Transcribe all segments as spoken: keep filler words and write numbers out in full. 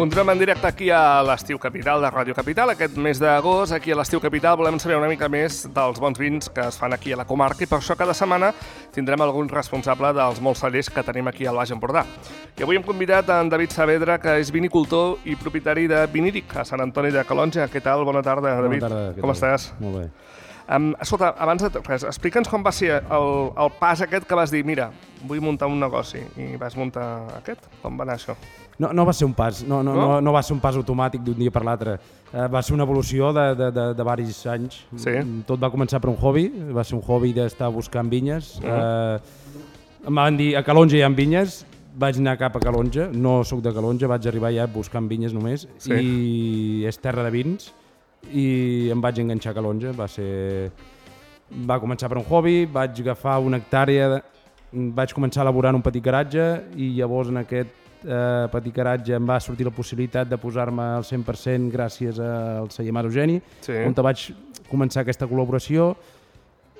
Continuem en directe aquí a l'Estiu Capital de Ràdio Capital. Aquest mes d'agost, aquí a l'Estiu Capital, volem saber una mica més dels bons vins que es fan aquí a la comarca i per això cada setmana tindrem algun responsable dels molts cellers que tenim aquí al Baix Empordà. I avui hem convidat en David Saavedra, que és vinicultor i propietari de Viníric a Sant Antoni de Calonge. Què tal? Bona tarda, David. Bona tarda. Com estàs? Molt bé. Um, escolta, abans de res, explica'ns com va ser el, el pas aquest que vas dir, mira, vull muntar un negoci, i vas muntar aquest? Com va anar això? No, no va ser un pas, no, no, no? no, no va ser un pas automàtic d'un dia per l'altre. Uh, va ser una evolució de, de, de, de varis anys. Sí. Tot va començar per un hobby, va ser un hobby d'estar buscant vinyes. Uh -huh. uh, em van dir, a Calonge hi ha vinyes, vaig anar cap a Calonge, no sóc de Calonge, vaig arribar ja buscant vinyes només, sí. I és terra de vins, i em vaig enganxar a Calonge. Va ser... va començar per un hobby, vaig agafar una hectàrea, vaig començar a elaborar en un petit garatge i llavors en aquest eh, petit garatge em va sortir la possibilitat de posar-me al cent per cent gràcies al celler Mas Eugeni, sí. On vaig començar aquesta col·laboració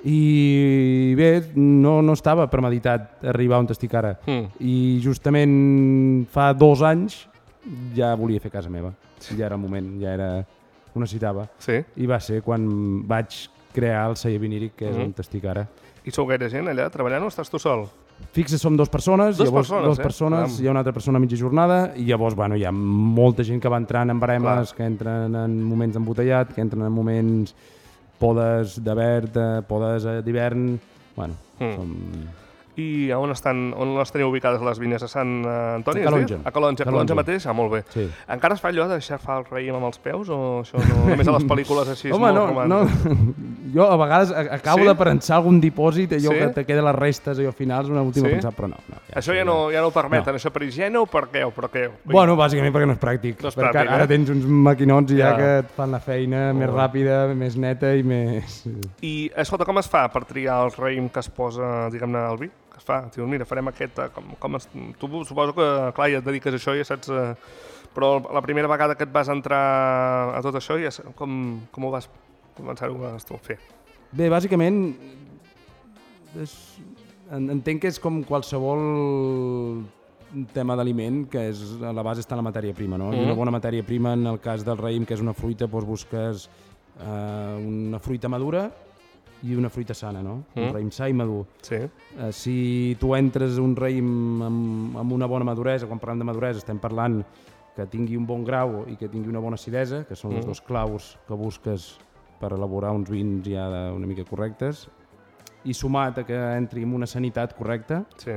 i bé, no, no estava premeditat arribar on estic ara. Mm. I justament fa dos anys ja volia fer casa meva, ja era el moment, ja era... ho necessitava. Sí. I va ser quan vaig crear el celler Viníric, que és mm-hmm. on estic ara. I sou gaire gent allà treballant o estàs tu sol? Fixa som dues persones, dos llavors, persones, dues eh? persones, hi ha una altra persona a mitja jornada i llavors bueno, hi ha molta gent que va entrant en baremes, clar, que entren en moments d'embotellat, que entren en moments podes de verd, podes d'hivern, bueno, mm. som... I on estan, on les teniu ubicades les vinyes? A Sant Antoni? A Calonge. A Calonge, a Calonge mateix? Ah, molt bé. Sí. Encara es fa allò de xafar el raïm amb els peus o això no? Només a les pel·lícules així és Home, molt no, romàntic? No. Jo a vegades acabo sí? de prensar algun dipòsit, allò sí? que te queden les restes allò finals, una última sí? pensar, però no. no ja això ja no, ja no ho permeten, no. Això per higiene o per què? O per què? Bueno, bàsicament perquè no és pràctic. No és perquè pràctic, ara eh? tens uns maquinots ja, ja que et fan la feina oh. més ràpida, més neta i més... I, escolta, com es fa per triar el raïm que es posa, diguem-ne, al vi? Que es fa? Dius, mira, farem aquest... Com, com es... Tu suposo que, clar, ja et dediques a això, ja saps... Eh... Però la primera vegada que et vas entrar a tot això, ja com, com ho vas començar-ho a fer? Bé, bàsicament, és... entenc que és com qualsevol tema d'aliment, que és, a la base està la matèria prima, no? Mm. I una bona matèria prima, en el cas del raïm, que és una fruita, doncs busques eh, una fruita madura i una fruita sana, no? Mm. Un raïm sa i madur. Sí. Eh, si tu entres un raïm amb, amb una bona maduresa, quan parlem de maduresa estem parlant que tingui un bon grau i que tingui una bona acidesa, que són mm. els dos claus que busques per elaborar uns vins ja una mica correctes, i sumat a que entri amb una sanitat correcta, sí.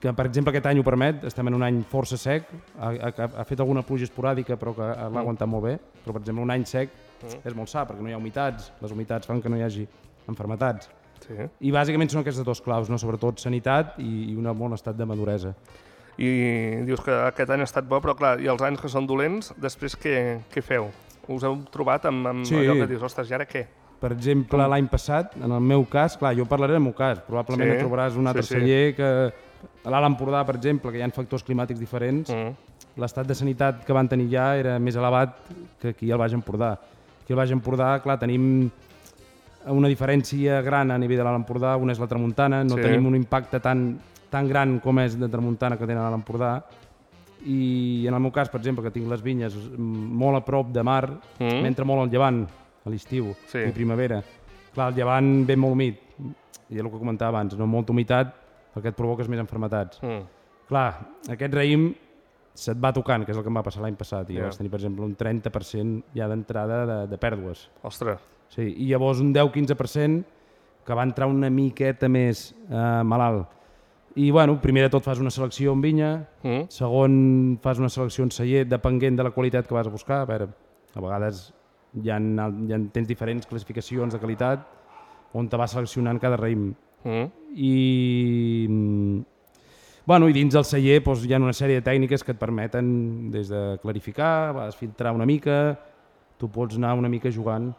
que per exemple aquest any ho permet, estem en un any força sec, ha, ha, ha fet alguna pluja esporàdica però que l'ha mm. aguantat molt bé, però per exemple un any sec mm. és molt sa perquè no hi ha humitats, les humitats fan que no hi hagi enfermetats. Sí. I bàsicament són aquestes dos claus, no? Sobretot sanitat i, i un bon estat de maduresa. I dius que aquest any ha estat bo, però clar, i els anys que són dolents, després què, què feu? Us heu trobat amb, amb sí. allò que dius, ostres, i ara què? Per exemple, l'any passat, en el meu cas, clar, jo parlaré del meu cas, probablement sí. et trobaràs un altre sí, sí. celler que a l'Alt Empordà, per exemple, que hi ha factors climàtics diferents, mm. l'estat de sanitat que van tenir ja era més elevat que aquí al Baix Empordà. Aquí al Baix Empordà, clar, tenim una diferència gran a nivell de l'Alt Empordà, una és la tramuntana, no sí. tenim un impacte tan, tan gran com és de tramuntana que tenen a l'Alt Empordà, i en el meu cas, per exemple, que tinc les vinyes molt a prop de mar, mm. m'entra molt al llevant, a l'estiu sí. i primavera. Clar, el llevant ve molt humit, i és el que comentava abans, no molta humitat perquè et provoques més enfermetats. Mm. Clar, aquest raïm se't va tocant, que és el que em va passar l'any passat, i yeah. vas tenir, per exemple, un trenta per cent ja d'entrada de, de pèrdues. Ostres! Sí, i llavors un deu a quinze per cent que va entrar una miqueta més eh, malalt. I, bueno, primer de tot fas una selecció en vinya, mm. segon fas una selecció en celler, depenent de la qualitat que vas a buscar. A veure, a vegades hi ha, hi ha, tens diferents classificacions de qualitat on te vas seleccionant cada raïm. Mm. I, bueno, i dins del celler doncs, hi ha una sèrie de tècniques que et permeten des de clarificar, vas filtrar una mica, tu pots anar una mica jugant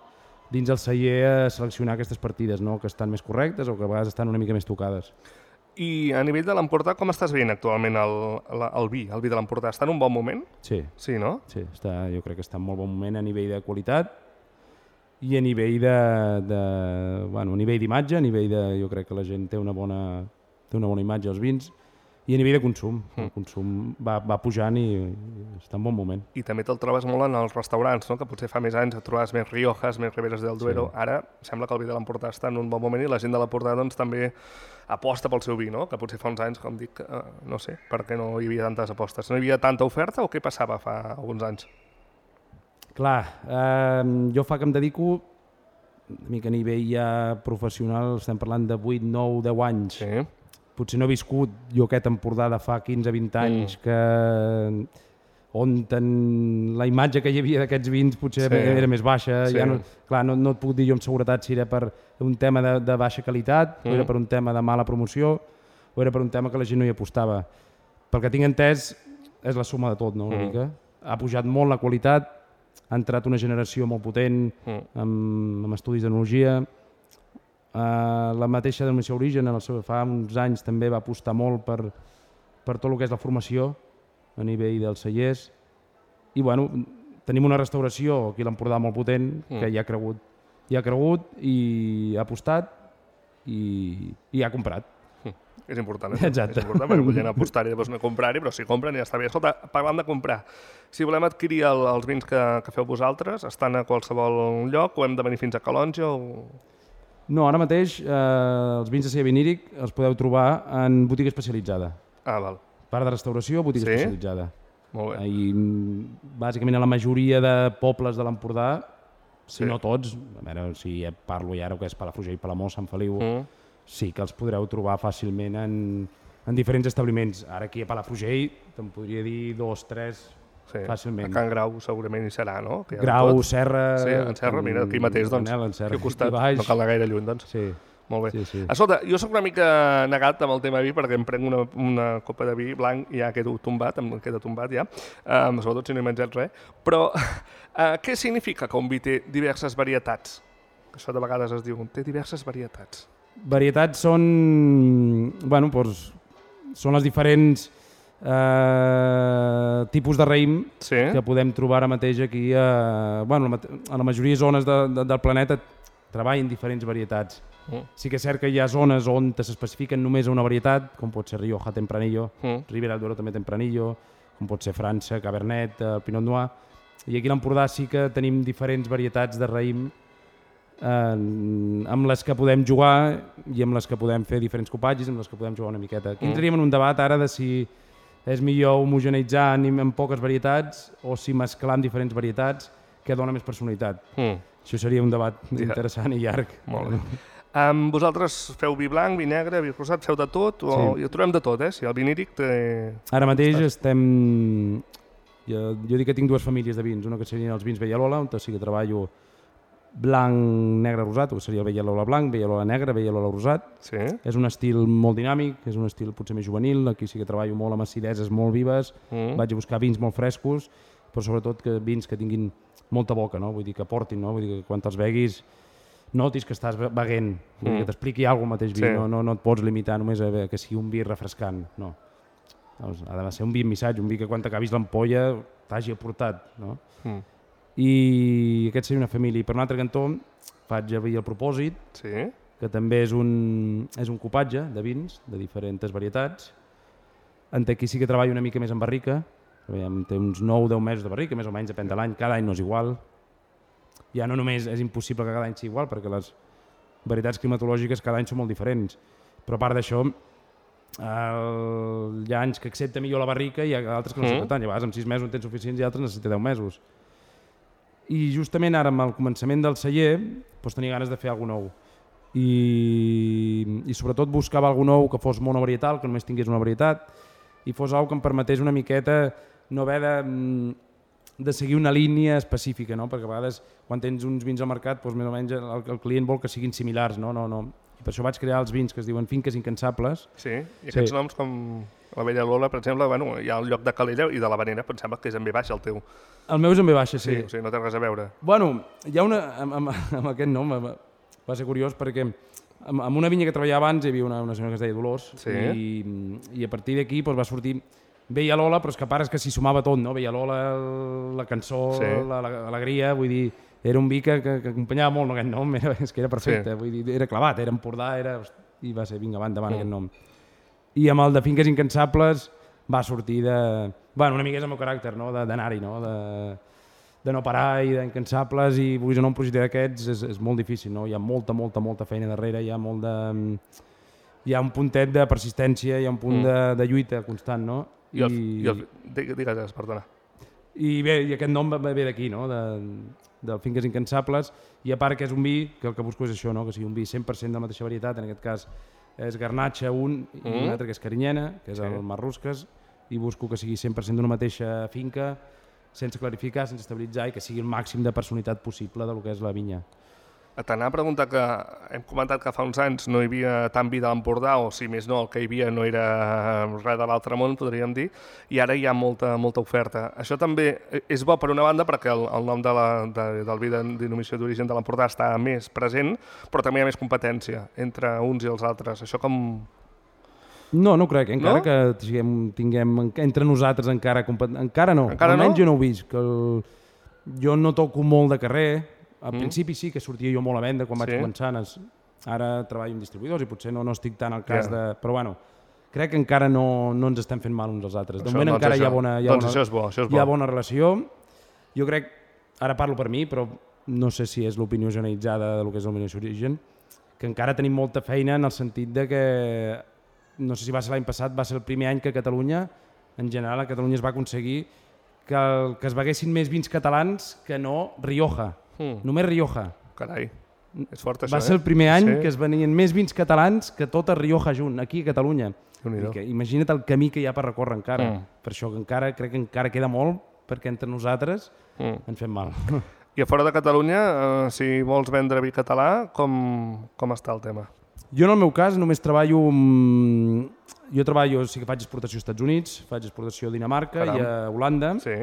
dins el celler a seleccionar aquestes partides, no? Que estan més correctes o que a vegades estan una mica més tocades. I a nivell de l'Empordà, com estàs veient actualment el, el, el vi, el vi de l'Empordà? Està en un bon moment? Sí. Sí, no? Sí, està, jo crec que està en molt bon moment a nivell de qualitat i a nivell de, de bueno, a nivell d'imatge, a nivell de, jo crec que la gent té una bona, té una bona imatge als vins I a nivell de consum, mm. el consum va, va pujant i, i està en bon moment. I també te'l trobes molt en els restaurants, no? Que potser fa més anys et trobaves més Riojas, més Riberes del Duero. Sí. Ara sembla que el vi de l'Empordà està en un bon moment i la gent de l'Empordà doncs, també aposta pel seu vi, no? Que potser fa uns anys, com dic, eh, no sé, per què no hi havia tantes apostes? No hi havia tanta oferta o què passava fa alguns anys? Clar, eh, jo fa que em dedico, una mica a nivell ja professional, estem parlant de vuit, nou, deu anys. Sí. Potser no he viscut jo aquest Empordà de fa quinze vint anys mm. que on ten... la imatge que hi havia d'aquests vins potser sí. era més baixa. Sí. Ja no, clar, no, no et puc dir jo amb seguretat si era per un tema de, de baixa qualitat, mm. o era per un tema de mala promoció, o era per un tema que la gent no hi apostava. Pel que tinc entès, és la suma de tot, no? Una mm. mica. Ha pujat molt la qualitat, ha entrat una generació molt potent mm. amb, amb estudis d'enologia. Uh, la mateixa denominació Origen en el seu, fa uns anys també va apostar molt per, per tot el que és la formació a nivell dels cellers i bueno, tenim una restauració aquí a l'Empordà molt potent mm. que hi ha cregut, hi ha cregut i ha apostat i, i ha comprat. Mm. És important, eh? Exacte. És important perquè podien apostar-hi i després no comprar-hi, però si compren ja està bé. Escolta, parlant de comprar, si volem adquirir el, els vins que, que feu vosaltres, estan a qualsevol lloc o hem de venir fins a Calonge o... No, ara mateix eh, els vins de celler viníric els podeu trobar en botiga especialitzada. Ah, val. Part de restauració, botiga sí? especialitzada. Molt bé. I bàsicament a la majoria de pobles de l'Empordà, si sí. no tots, a veure si parlo ja ara que és Palafrugell, Palamós, Sant Feliu, mm. sí que els podreu trobar fàcilment en, en diferents establiments. Ara aquí a Palafrugell te'n podria dir dos, tres... Sí. Fàcilment. A Can Grau segurament hi serà, no? Que Grau, tot. Serra... Sí, en Serra, mira, aquí mateix, doncs, Manel, Serra, aquí al costat, no cal anar gaire lluny, doncs. Sí. Molt bé. Sí, sí. Escolta, jo sóc una mica negat amb el tema vi perquè em prenc una, una copa de vi blanc i ja quedo tombat, em queda tombat ja, um, sobretot si no he menjat res, però uh, què significa que un vi té diverses varietats? Això de vegades es diu, té diverses varietats. Varietats són, bueno, doncs, són les diferents... Uh, tipus de raïm sí. que podem trobar ara mateix aquí a, bueno, a la majoria de zones de, de, del planeta treballen diferents varietats. Mm. Sí que és cert que hi ha zones on s'especifiquen només una varietat, com pot ser Rioja Tempranillo, mm. Ribera del Duero també Tempranillo, com pot ser França, Cabernet, uh, Pinot Noir, i aquí a l'Empordà sí que tenim diferents varietats de raïm uh, amb les que podem jugar i amb les que podem fer diferents copatges, amb les que podem jugar una miqueta. Aquí mm. entraríem en un debat ara de si és millor homogeneitzar amb poques varietats o si mesclar amb diferents varietats que dona més personalitat. Mm. Això seria un debat ja. interessant i llarg. Molt bé. Um, vosaltres feu vi blanc, vi negre, vi rosat, feu de tot? O... Sí. I ho trobem de tot, eh? Si el viníric té... Ara mateix Estàs... estem... Jo, jo dic que tinc dues famílies de vins, una que serien els vins Vellalola, on sí que treballo blanc, negre, rosat, o seria el Vellalola blanc, Vellalola negre, Vellalola rosat. Sí. És un estil molt dinàmic, és un estil potser més juvenil, aquí sí que treballo molt amb acideses molt vives, mm. vaig a buscar vins molt frescos, però sobretot que vins que tinguin molta boca, no? Vull dir que portin, no? Vull dir que quan te'ls beguis notis que estàs beguent, mm. que t'expliqui alguna cosa mateix vi, sí. no, no, no et pots limitar només a que sigui un vi refrescant, no. Ha de ser un vi amb missatge, un vi que quan t'acabis l'ampolla t'hagi aportat, no? Mm. I aquest seria una família. I per un altre cantó faig a vi el Propòsit, sí. que també és un, és un copatge de vins de diferents varietats. En aquí sí que treballo una mica més en barrica, té uns nou o deu mesos de barrica, més o menys depèn de l'any, cada any no és igual. Ja no només és impossible que cada any sigui igual, perquè les varietats climatològiques cada any són molt diferents, però a part d'això el... hi ha anys que accepta millor la barrica i hi ha altres que no accepten mm. tant, i a vegades amb sis mesos en tens suficients i altres necessita deu mesos. I justament ara, amb el començament del celler, doncs tenia ganes de fer alguna nou. I, I sobretot buscava alguna nou que fos monovarietal, que només tingués una varietat, i fos alguna que em permetés una miqueta no haver de, de seguir una línia específica, no? Perquè a vegades quan tens uns vins al mercat, doncs més o menys el, el client vol que siguin similars, no? No, no. I per això vaig crear els vins que es diuen finques incansables. Sí, i aquests sí. noms com la Vellalola, per exemple, bueno, hi ha el lloc de Calella i de la Vanera, em sembla que és en ve baixa el teu. El meu és en ve baixa, sí. Sí, o sigui, no té res a veure. Bueno, hi ha una... amb, amb, amb aquest nom va ser curiós perquè amb, amb una vinya que treballava abans hi havia una, una senyora que es deia Dolors sí. i, i a partir d'aquí doncs, va sortir Vellalola, però és que a part és que s'hi sumava tot, no? Vellalola, la cançó, sí. l'alegria, vull dir... Era un vi que, que, que acompanyava molt no, aquest nom, era, és que era perfecte, sí. vull dir, era clavat, era Empordà, era, i va ser, vinga, va endavant mm. aquest nom. I amb el de Finques Incansables va sortir de... Bueno, una mica és el meu caràcter, no? D'anar-hi, no? De, de no parar i d'incansables, i vulguis o no un projecte d'aquests és, és molt difícil, no? Hi ha molta, molta, molta feina darrere, hi ha molt de... Hi ha un puntet de persistència, hi ha un punt mm. de, de lluita constant, no? I, el, i... i el, digues, perdona. I bé, i aquest nom ve d'aquí, no? De, del Finques Incansables, i a part que és un vi, que el que busco és això, no? Que sigui un vi cent per cent de la mateixa varietat, en aquest cas és Garnatxa un, mm. i un altre que és Carinyena, que és sí. el Marrusques, i busco que sigui cent per cent d'una mateixa finca, sense clarificar, sense estabilitzar, i que sigui el màxim de personalitat possible del que és la vinya. T'anava a preguntar que hem comentat que fa uns anys no hi havia tant vi de l'Empordà, o si més no, el que hi havia no era res de l'altre món, podríem dir, i ara hi ha molta, molta oferta. Això també és bo per una banda perquè el, el nom de la, de, del vi de denominació d'origen de l'Empordà està més present, però també hi ha més competència entre uns i els altres. Això com... No, no crec. Encara no? que tinguem, tinguem entre nosaltres encara... Encara no. Encara Almenys no? jo no ho visc. El... Jo no toco molt de carrer. Al mm. principi sí que sortia jo molt a venda quan sí. vaig començar. Ara treballo amb distribuïdors i potser no, no estic tant al cas yeah. de... Però bueno, crec que encara no, no ens estem fent mal uns als altres. De això, moment doncs encara això. hi ha bona, hi ha doncs bona, això és bo, això és bo. Hi ha bona relació. Jo crec, ara parlo per mi, però no sé si és l'opinió generalitzada del que és el denominació d'origen, que encara tenim molta feina en el sentit de que, no sé si va ser l'any passat, va ser el primer any que a Catalunya, en general a Catalunya es va aconseguir que, el, que es beguessin més vins catalans que no Rioja. Mm. Només Rioja. Carai, és fort això, Va ser el primer any sí. que es venien més vins catalans que tota Rioja junt, aquí a Catalunya. I que, imagina't el camí que hi ha per recórrer encara. Mm. Per això que encara crec que encara queda molt, perquè entre nosaltres mm. ens fem mal. I a fora de Catalunya, eh, si vols vendre vi català, com, com està el tema? Jo en el meu cas només treballo... Amb... Jo treballo, sí que faig exportació als Estats Units, faig exportació a Dinamarca Caram. i a Holanda. Sí.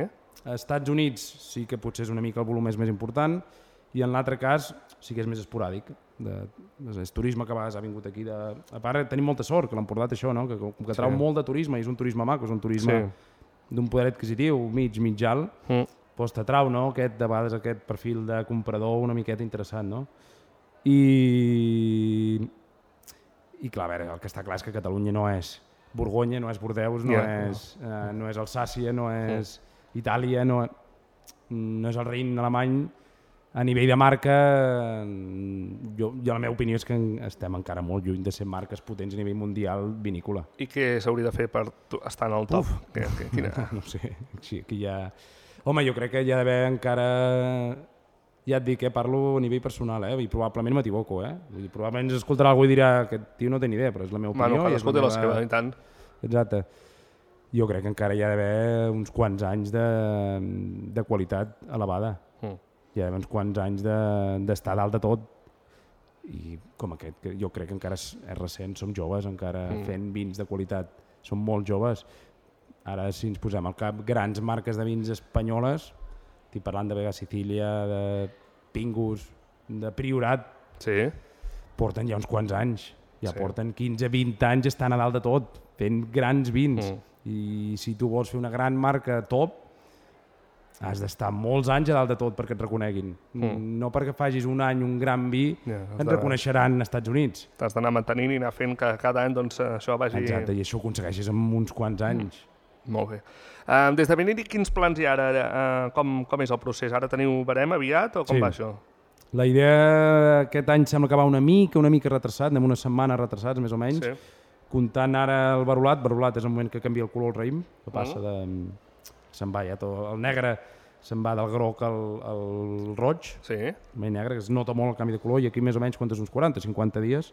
A Estats Units sí que potser és una mica el volum és més important, i en l'altre cas sí que és més esporàdic. De, és turisme que a vegades ha vingut aquí. De... A part, tenim molta sort, que l'Empordà té això, no? que, que trau sí. molt de turisme, i és un turisme maco, és un turisme sí. d'un poder adquisitiu mig, mig alt, mm. doncs t'atrau, no? Aquest, de vegades aquest perfil de comprador una miqueta interessant. No? I... I clar, a veure, el que està clar és que Catalunya no és Borgonya, no és Bordeus, no, yeah, és, no. Eh, no és Alsàcia, no és mm. Itàlia, no, no és el Rin alemany. A nivell de marca, jo, jo la meva opinió és que estem encara molt lluny de ser marques potents a nivell mundial vinícola. I què s'hauria de fer per estar en el top? Que, que, quina... No sé, sí, aquí hi ha... Home, jo crec que hi ha d'haver encara... Ja et dic, eh, parlo a nivell personal, eh, i probablement m'equivoco, eh? Vull dir, probablement ens escoltarà algú i dirà que aquest tio no té ni idea, però és la meva opinió. Bueno, cadascú té la seva, i tant. Exacte. Jo crec que encara hi ha d'haver uns quants anys de, de qualitat elevada. Mm. Hi ha d'haver uns quants anys d'estar de, dalt de tot. I com aquest, que jo crec que encara és, és recent, som joves encara mm. fent vins de qualitat. Som molt joves. Ara, si ens posem al cap grans marques de vins espanyoles, estic parlant de Vega Sicília, de Pingus, de Priorat, sí. porten ja uns quants anys. Ja sí. porten quinze vint anys estan a dalt de tot, fent grans vins. Mm. I si tu vols fer una gran marca top, has d'estar molts anys a dalt de tot perquè et reconeguin. Mm. No perquè facis un any un gran vi, yeah, et de... reconeixeran als Estats Units. T'has d'anar mantenint i anar fent que cada any doncs, això vagi... Exacte, i això ho aconsegueixes en uns quants anys. Mm. Molt bé. Uh, des de Beniri, quins plans hi ha ara? Uh, com, com és el procés? Ara teniu barem aviat o com sí. va això? La idea aquest any sembla que va una mica, una mica retrasat, anem una setmana retrasats més o menys. Sí. Comptant ara el barolat, barolat és el moment que canvia el color el raïm, que passa de... se'n va ja tot, el negre se'n va del groc al, al roig, sí. el negre, que es nota molt el canvi de color, i aquí més o menys quantes, uns quaranta, cinquanta dies,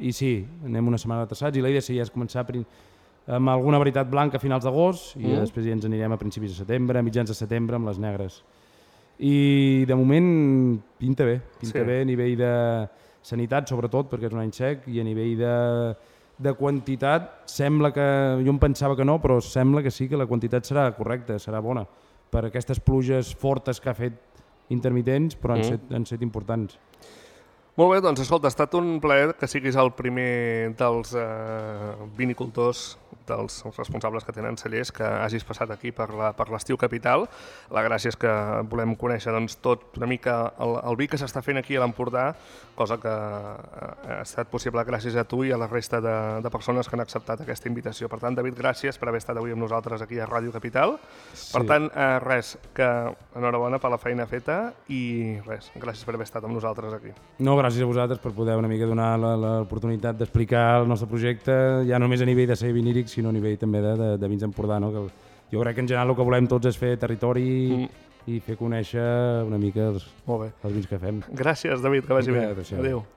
i sí, anem una setmana retrasats, i la idea seria és començar amb alguna varietat blanca a finals d'agost, i mm. després ja ens anirem a principis de setembre, a mitjans de setembre amb les negres. I de moment pinta bé, pinta sí. bé a nivell de sanitat sobretot, perquè és un any sec, i a nivell de de quantitat sembla que, jo em pensava que no, però sembla que sí que la quantitat serà correcta, serà bona, per aquestes pluges fortes que ha fet intermitents, però han, mm. set, han set importants. Molt bé, doncs escolta, ha estat un plaer que siguis el primer dels eh, vinicultors dels responsables que tenen cellers, que hagis passat aquí per l'Estiu Capital. La gràcia és que volem conèixer doncs, tot una mica el, el vi que s'està fent aquí a l'Empordà, cosa que ha estat possible gràcies a tu i a la resta de, de persones que han acceptat aquesta invitació. Per tant, David, gràcies per haver estat avui amb nosaltres aquí a Ràdio Capital. Sí. Per tant, eh, res, que enhorabona per la feina feta i res, gràcies per haver estat amb nosaltres aquí. No, gràcies a vosaltres per poder una mica donar l'oportunitat d'explicar el nostre projecte, ja no només a nivell de ser viníric, sinó a nivell també de, de, de vins d'Empordà, no? Que jo crec que en general el que volem tots és fer territori mm. i fer conèixer una mica els, els vins que fem. Gràcies, David, que vagi bé. Adéu.